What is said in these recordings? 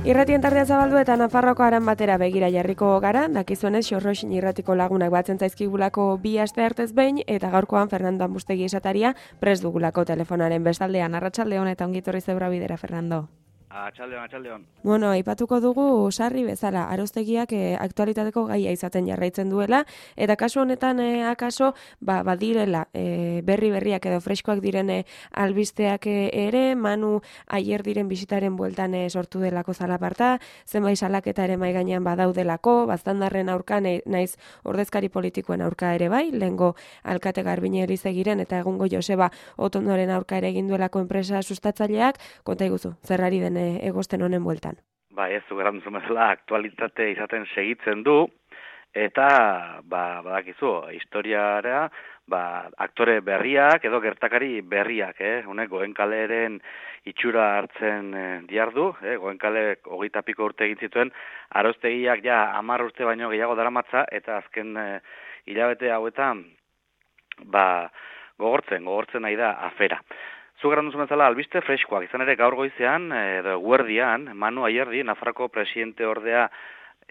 Irratien tardea zabaldu eta Nafarroko aran batera begira jarriko gara, dakizuenez Xorroxin irratiko lagunak batzen zaizkigulako bi aste hartez behin, eta gaurkoan Fernando Ambustegi esataria prest dugulako telefonaren bestaldean. Arratsaldeon eta ongitorri zeura bidera, Fernando. Atxaldeon. Bueno, aipatuko dugu sarri bezala, Arostegiak aktualitateko gaia izaten jarraitzen duela, eta kasu honetan akaso badirela berriak edo freskoak diren albisteak ere, Manu aier diren bisitaren bueltan sortu delako zalaparta, zenbait salaketa ere mai gainean badaudelako, baztandarren aurka naiz ordezkari politikoen aurka ere bai, lehengo alkate Garbine Elizegiren eta egungo Joseba Otondoren aurka ere egin duelako enpresa sustatzaileak, konta iguzu, zerrari den egosten honen bueltan. Ez du gara duzu bezala aktualitate izaten segitzen du, eta badakizu, historiara aktore berriak edo gertakari berriak, honek Goenkaleren itxura hartzen diardu, Goenkalek 20 urte egin zituen, Arostegiak 10 urte baino gehiago daramatza, eta azken hilabete hauetan gogortzen nahi da afera. Zugaran duzu bezala albiste freskoak, izan ere gaur goizean, edo guerdian, Manu Aierdi, Nafarroko presidente ordea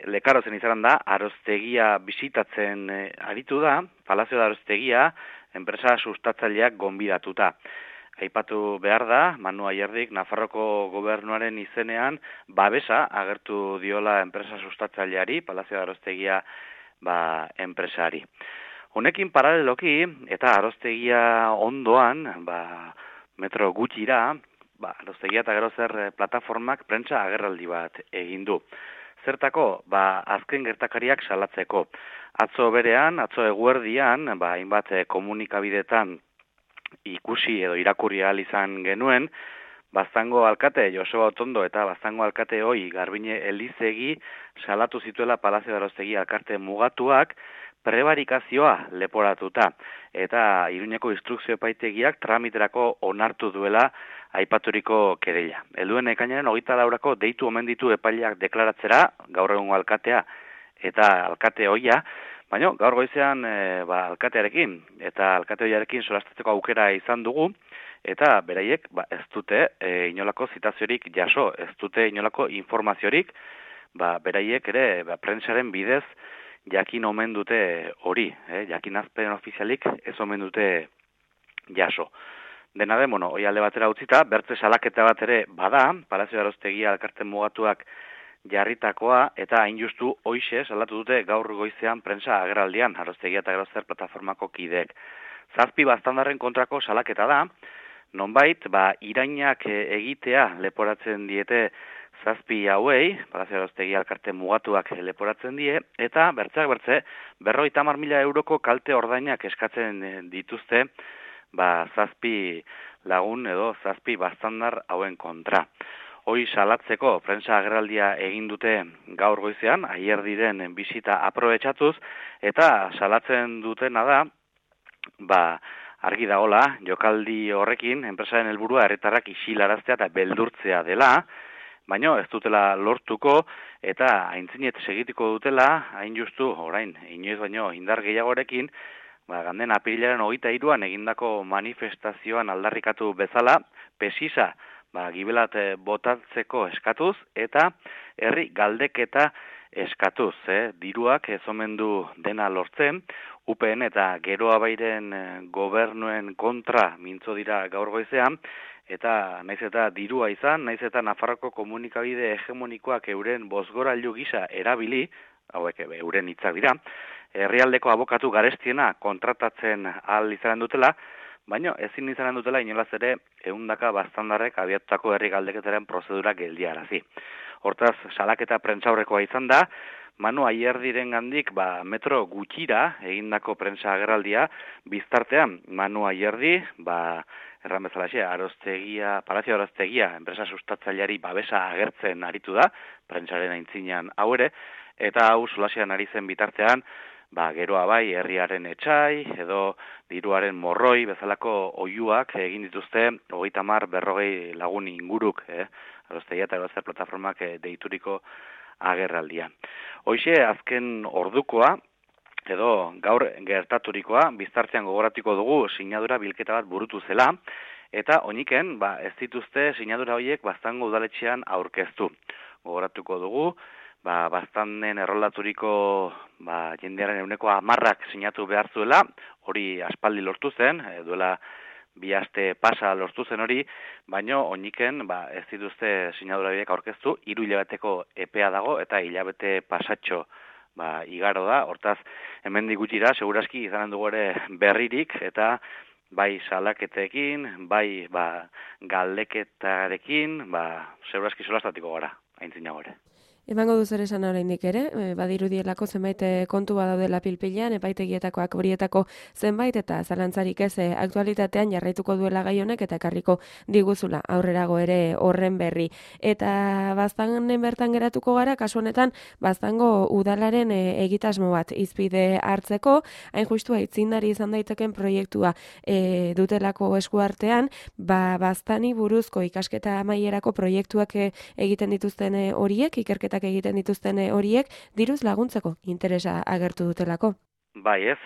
lekarozen izan da, Arostegia bisitatzen aritu da, Palazio da Arostegia, enpresa sustatzaileak gonbidatuta. Aipatu behar da, Manu Aierdik Nafarroko gobernuaren izenean babesa agertu diola enpresa sustatzaileari, Palazio da Arostegia enpresari. Honekin paraleloki, eta Arostegia ondoan, metro gutxira, Arostegia eta gero zer plataformak prentsa agerraldi bat egin du. Zertako, azken gertakariak salatzeko. Atzo eguerdian, hainbat komunikabidetan ikusi edo irakurri ahal izan genuen, Baztango alkate Joseba Otondo eta Baztango alkate hoi Garbine Elizegi salatu zituela Palazio de Arostegia alkarte mugatuak prebarikazioa leporatuta, eta Iruñeko instrukzio epaitegiak tramiterako onartu duela aipaturiko kereila. Helduen ekainaren 24 deitu omen ditu epaileak deklaratzera, gaur egungo alkatea eta alkate hoia, baina gaur goizean alkatearekin eta alkate hoiarekin solastatzeko aukera izan dugu, eta beraiek ez dute inolako zitaziorik jaso, ez dute inolako informaziorik, beraiek ere prentsaren bidez jakin omen dute hori, jakinazpen ofizialik ez omen dute jaso. Dena den, hoi alde batera utzita, bertze salaketa bat ere bada, Palazio de Arostegia alkarte mugatuak jarritakoa, eta hain justu hoixe salatu dute gaur goizean prentsa agerraldian, Arostegia eta gero zer plataformako kideek. 7 baztandarren kontrako salaketa da, nonbait, irainak egitea leporatzen diete 7 hauei, Palazio de Arostegia alkarte mugatuak leporatzen die, eta bertze 50.000 euroko kalte ordainak eskatzen dituzte, 7 lagun edo 7 baztandar hauen kontra. Hoi salatzeko prentsa agerraldia egin dute gaur goizean, Aierdiren bisita aprobetxatuz, eta salatzen dutena da, argi dagola, jokaldi horrekin, enpresaren helburua herritarrak isilaraztea eta beldurtzea dela, baina ez dutela lortuko, eta aintzinet segitiko dutela, hain justu, orain, inoiz baino indar gehiagorekin, ganden apirilaren 23an egindako manifestazioan aldarrikatu bezala, pesisa, gibelat botatzeko eskatuz, eta herri galdeketa eskatuz, diruak ez omen du dena lortzen, UPN eta Geroa Bairen gobernuen kontra mintzo dira gaur goizean, eta naiz eta dirua izan, naiz eta Nafarroko komunikabide hegemonikoak euren bozgorailu gisa erabili, hauek euren hitzak dira, herrialdeko abokatu garestiena kontratatzen ahal izanen dutela, baina ezin izanen dutela inolaz ere 100 baztandarrek abiatutako herri galdeketaren prozedura geldiarazi. Hortaz, salaketa prentsaurrekoa izan da, Manu Aierdiren gandik metro gutxira egindako prentsa agerraldia, biztartean Manu Aierdi, erran bezalaxe, Palazio Arostegia, enpresa sustatzaileari babesa agertzen aritu da, prentsaren aintzinean hau ere, eta hau solasean ari zen bitartean, Geroa Bai, herriaren etxai, edo diruaren morroi, bezalako oihuak egin dituzte, 30-40 lagun inguruk, Arostegia eta Aroster plataformak deituriko agerraldia. Hoixe, azken ordukoa, edo gaur gertaturikoa, biztartean gogoratuko dugu sinadura bilketa bat burutu zela, eta oiniken, ez dituzte sinadura horiek Baztango udaletxean aurkeztu. gogoratuko dugu, baztanen errolaturiko jendearen 10% sinatu behar zuela, hori aspaldi lortu zen, duela 2 aste pasa lortu zen hori, baino oiniken ez dituzte sinadura horiek aurkeztu, 3 hilabeteko epea dago eta hilabete pasatxo igaro da, hortaz hemendik gutxira segurazki izanen dugu ere berririk eta bai salaketekin, bai galdeketarekin, segurazki solastatiko gara, aintzinago ere. Emango duz ere esan oraindik ere, badirudielako zenbait kontu badaudela pilpilean, epaitegietakoak horietako zenbait eta zalantzarik ez aktualitatean jarraituko duela gai honek eta ekarriko diguzula aurrerago ere horren berri. Eta baztanen bertan geratuko gara, kasu honetan baztango udalaren egitasmo bat izpide hartzeko, hain justu aitzindari izan daiteken proiektua dutelako eskuartean, baztani buruzko ikasketa amaierako proiektuak egiten dituzten horiek, ikerketa egiten dituzten horiek, diruz laguntzeko interesa agertu dutelako. Bai ez,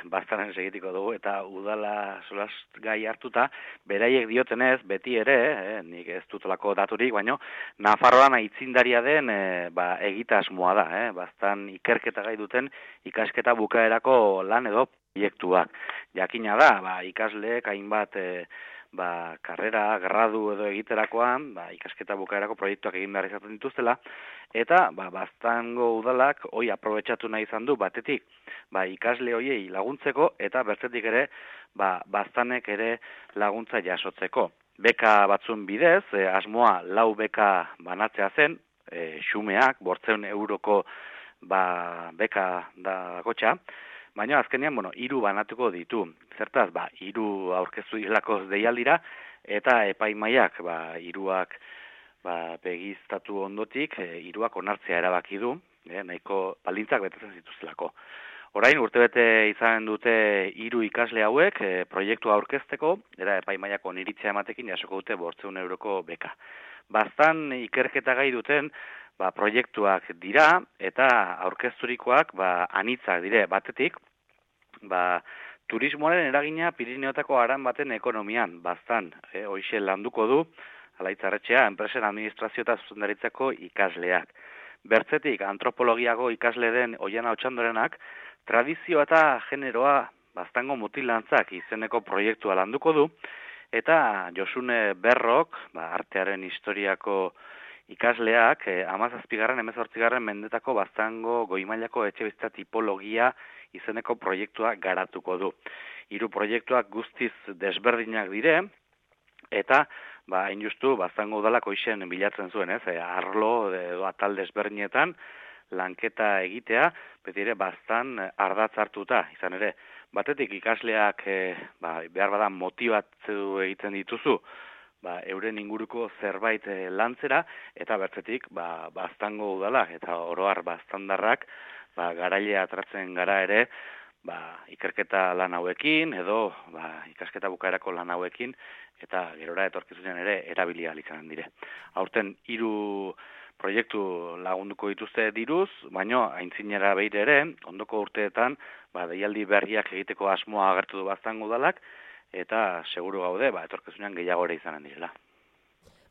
baztanen segitiko dugu, eta udala solas gai hartuta, beraiek diotenez, beti ere, nik ez dutolako daturik, baino, Nafarroan aitzindaria den egitasmoa da, baztan ikerketa gai duten ikasketa bukaerako lan edo proiektuak. Jakina da, ikasleek hainbat karrera, gradu edo egiterakoan, ikasketa bukaerako proiektuak egin behar izaten dituztela, eta baztango udalak hoi aprobetxatu nahi izan du batetik, ikasle hoiei laguntzeko eta bertzetik ere baztanek ere laguntza jasotzeko. Beka batzun bidez, asmoa 4 beka banatzea zen, xumeak, 500 euroko beka da gotxa, baina azkenean, 3 banatuko ditu. Zertaz, 3 aurkeztu direlako deialdira, eta epaimaiak, 3ak begiztatu ondotik, 3ak onartzea erabaki du, nahiko baldintzak betetzen zituztelako. Orain, urtebete izan dute 3 ikasle hauek proiektua aurkezteko, eta epaimaiak oniritzea ematekin jasoko dute 500 euroko beka. Baztan ikerketa gai duten, proiektuak dira, eta aurkezturikoak anitzak dire batetik, turismoaren eragina Pirineotako aran baten ekonomian, baztan, hoixe landuko du, Alaitzarretxea, enpresen administrazio eta zuzendaritzako ikasleak. Bertzetik, antropologiago ikasle den Oiana Otxandorenak, tradizio eta generoa baztango mutilantzak izeneko proiektua landuko du, eta Josune Berrok, artearen historiako ikasleak, 17. mendetako baztango goimailako etxebizitza tipologia izeneko proiektua garatuko du. 3 proiektuak guztiz desberdinak dire, eta hain justu baztango udalak hoixen bilatzen zuen, arlo edo atal desberdinetan lanketa egitea, beti ere baztan ardatz hartuta, izan ere, batetik ikasleak behar badan motibatu egiten dituzu, euren inguruko zerbait lantzera, eta bertzetik baztango udalak eta oroar baztandarrak garaile atratzen gara ere ikerketa lan hauekin edo ikasketa bukaerako lan hauekin eta gerora etorkizunean ere erabili ahal izanen dire. Aurten 3 proiektu lagunduko dituzte diruz, baino aintzinera beire ere, ondoko urteetan deialdi berriak egiteko asmoa agertu du baztango udalak, eta seguru gaude, etorkizunean gehiago ere izanen direla.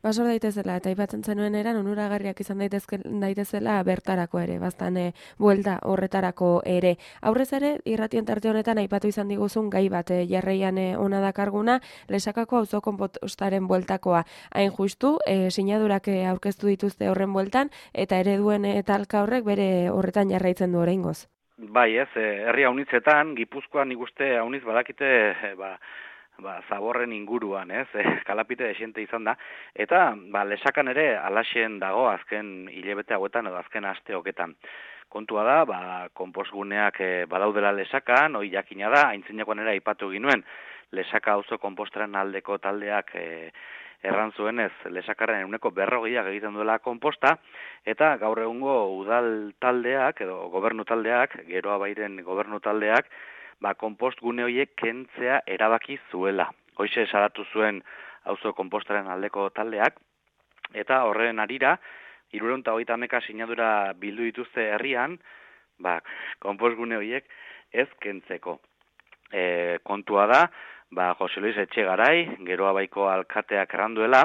Basor daitezela, eta aipatzen zenuen eran, onuragarriak izan daitezela bertarako ere, baztan buelta horretarako ere. Aurrez ere, irratien tarte honetan aipatu izan diguzun gai bat jarraian ona dakarguna, Lesakako auzo konpostaren bueltakoa. Hain justu, sinadurak aurkeztu dituzte horren bueltan, eta ereduen talka horrek bere horretan jarraitzen du oraingoz. Bai ez, herri haunitzetan, Gipuzkoan nik uste haunitz badakite, zaborren inguruan, kalapite desiente izan da, eta Lesakan ere alaxen dago azken hilabete hauetan edo azken aste hoketan. Kontua da, konpostguneak badaudela Lesakan, hoi jakina da, aintzinakoan ere aipatu ginuen, Lesaka auzo konpostaren aldeko taldeak erran zuenez, Lesakaren 40% egiten duela konposta, eta gaur egungo udal taldeak edo gobernu taldeak, Geroa Bairen gobernu taldeak, konpost gune horiek kentzea erabaki zuela. Hoize salatu zuen auzo konpostaren aldeko taldeak, eta horren arira, 330 sinadura bildu dituzte herrian, konpost gune horiek ez kentzeko. Kontua da, Jose Luis Etxegarai, Geroa Baiko alkateak erranduela,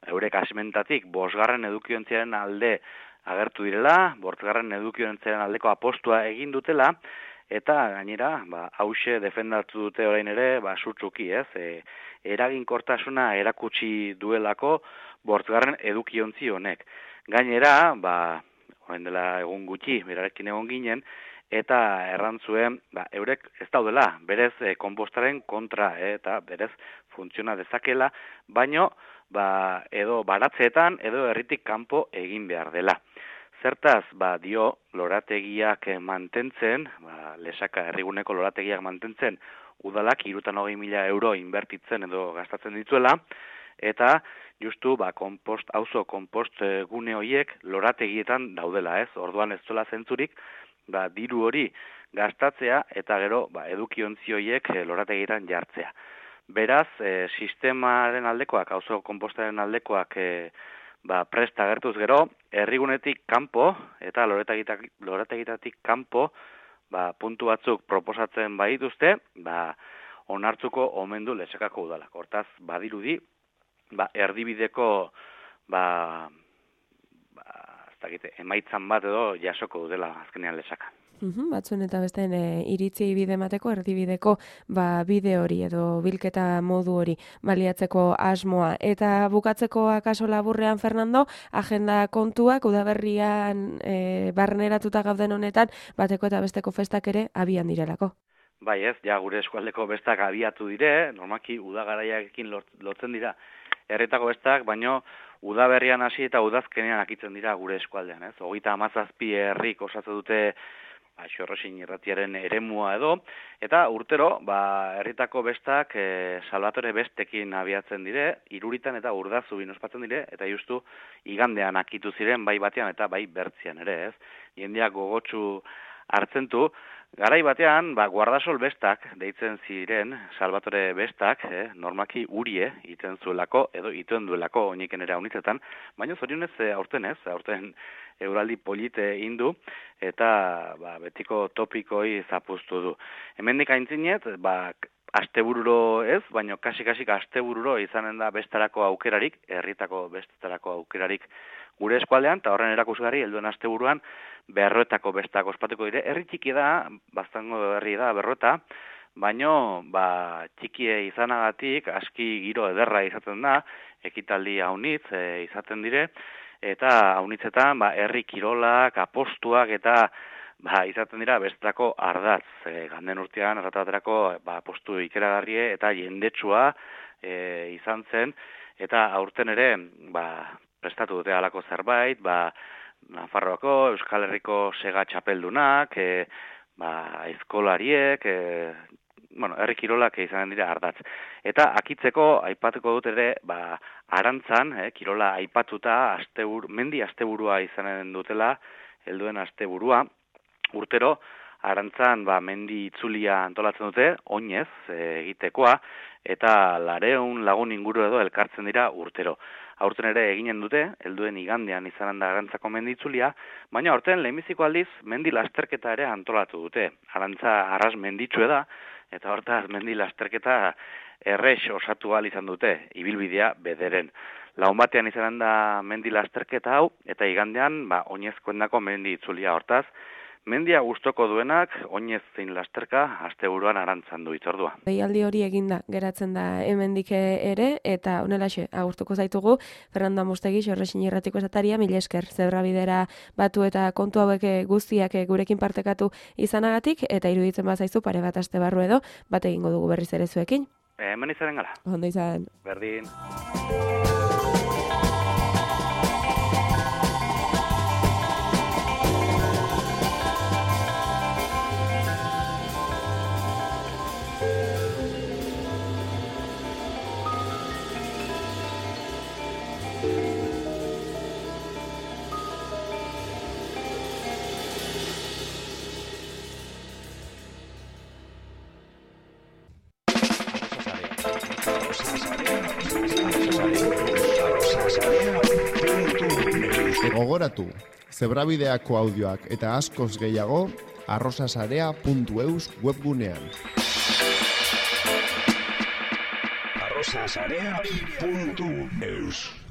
eurek asimentatik 5. edukiontziaren alde agertu direla, 5. edukiontziaren aldeko apostua egin dutela, eta gainera, hause defendatu dute orain ere, sutsuki, ez? Eraginkortasuna erakutsi duelako 5. edukiontzi honek. Gainera, orain dela egun gutxi, berarekin egon ginen, eta errantzuen, eurek ez daudela, berez konpostaren kontra, eta berez funtziona dezakela, baino, edo baratzeetan, edo herritik kanpo egin behar dela. Zertaz, dio lorategiak mantentzen, Lesaka herriguneko lorategiak mantentzen, udalak 320.000 euro inbertitzen edo gastatzen dituela, eta justu auzo konpost gune horiek lorategietan daudela, ez? Orduan ez duela zentzurik, diru hori gastatzea eta gero edukiontzi horiek lorategietan jartzea. Beraz, sistemaren aldekoak, auzo konpostaren aldekoak presta agertuz gero, herrigunetik kanpo eta lorategitatik kanpo puntu batzuk proposatzen badituzte, onartzuko omen du Lesakako udalak. Hortaz, badirudi, erdibideko emaitzan bat edo jasoko dutela azkenean Lesaka. Batzuen eta besteen iritzi bide emateko, erdibideko bide hori edo bilketa modu hori baliatzeko asmoa. Eta bukatzeko akaso laburrean, Fernando, agenda kontuak udaberrian barneratuta gauden honetan, bateko eta besteko festak ere abian direlako. Bai ez, gure eskualdeko bestak abiatu dire, normaki udagaraiarekin lotzen dira herretako bestak, baino udaberrian hasi eta udazkenean akitzen dira gure eskualdean, ez? 37 herrik osatu dute Xorrosin irratiaren eremua edo, eta urtero, herritako bestak Salvatore bestekin abiatzen dire, Iruritan eta Urdazubin ospatzen dire, eta justu igandean akitu ziren bai batean eta bai bertzian ere, ez? Jendeak gogotsu hartzen du, garai batean, guardasol bestak deitzen ziren, Salvatore bestak, normaki urie iten zuelako, edo ituen duelako oiniken ere haunitzetan, baina zorionez aurten euraldi polite indu, eta betiko topikoi zapuztu du. Hemendik aintzinet, astebururo ez, baina kasik astebururo izanen da bestarako aukerarik, herritako bestarako aukerarik gure eskualdean, eta horren erakusgarri, helduen asteburuan, Berroetako bestak ospatuko dire. Herri txiki da, Baztango herri da, Berroeta, baino, txikie izanagatik, aski giro ederra izaten da, ekitaldi haunitz izaten dire, eta haunitzetan, herri kirolak, apostuak, eta izaten dira bestako ardatz. Ganden urtean, errataterako, apostu ikeragarrie, eta jendetsua izan zen, eta aurten ere, prestatu dute halako zerbait, Nafarroako, Euskal Herriko sega txapeldunak, aizkolariek, herri kirolak izanen dira ardatz. Eta akitzeko aipatuko dut ere, Arantzan, kirola aipatuta, mendi asteburua izanen dutela, helduen asteburua, urtero, Arantzan mendi itzulia antolatzen dute, oinez egitekoa, eta 200 lagun inguru edo elkartzen dira urtero. Aurten ere eginen dute, helduen igandean izanen da Arantzako mendi itzulia, baina aurten lehenbiziko aldiz mendi lasterketa ere antolatu dute. Arantza arras menditsue da, eta hortaz mendi lasterketa errex osatu ahal izan dute, ibilbidea bederen. Lagun batean izanen da mendi lasterketa hau, eta igandean oinezkoendako mendi itzulia hortaz. Mendia gustoko duenak, oinez zein lasterka, asteburuan Arantzan du itzordua. Deialdi hori eginda, geratzen da hemendik ere, eta honelaxe, agurtuko zaitugu, Fernando Amustegi, Xorrosin irratiko esataria, mila esker, zebrabidera batu eta kontu hauek guztiak gurekin partekatu izanagatik, eta iruditzen bazaizu pare bat aste barru edo, bat egingo dugu berriz ere zuekin. Hemen izaren gala. Ondo izan. Berdin. Gogoratu, zebrabideako audioak eta askoz gehiago arrosasarea.eus webgunean. arrosasarea.eus